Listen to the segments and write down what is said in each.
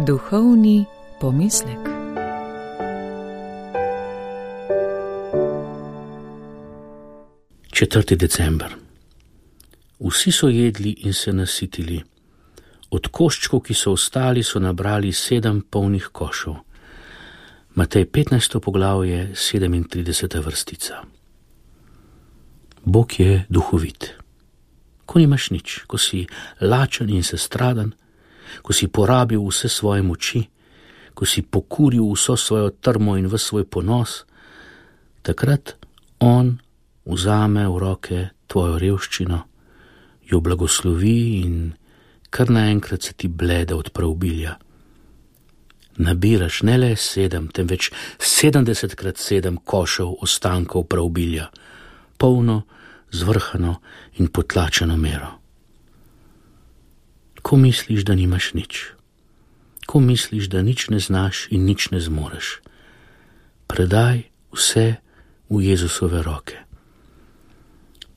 Duhovni pomislek. Četrti december. Vsi so jedli in se nasitili. Od koščkov, ki so ostali, so nabrali 7 polnih košov. Matej 15. poglavje, 37. vrstica. Bog je duhovit. Ko nimaš nič, ko si lačen in sestradan, ko si porabil vse svoje moči, ko si pokuril vso svojo trmo in ves svoj ponos, takrat on vzame v roke tvojo revščino, jo blagoslovi in kar naenkrat se ti blede od preobilja. Nabiraš ne le 7, temveč 70x7 košev ostankov preobilja, polno, zvrhano in potlačeno mero. Ko misliš, da nimaš nič, ko misliš, da nič ne znaš in nič ne zmoreš, predaj vse v Jezusove roke.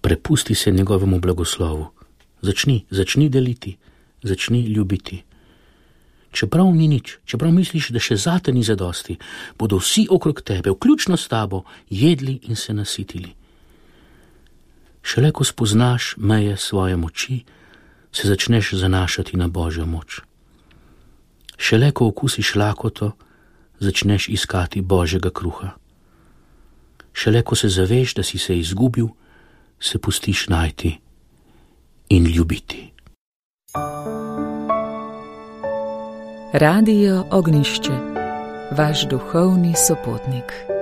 Prepusti se njegovemu blagoslovu, začni deliti, začni ljubiti. Čeprav ni nič, čeprav misliš, da še zate ni zadosti, bodo vsi okrog tebe, vključno s tabo, jedli in se nasitili. Šele ko spoznaš meje svoje moči, se začneš zanašati na Božjo moč. Šele ko okusiš lakoto, začneš iskati Božjega kruha. Šele ko se zaveš, da si se izgubil, se pustiš najti in ljubiti. Radio Ognjišče, vaš duhovni sopotnik.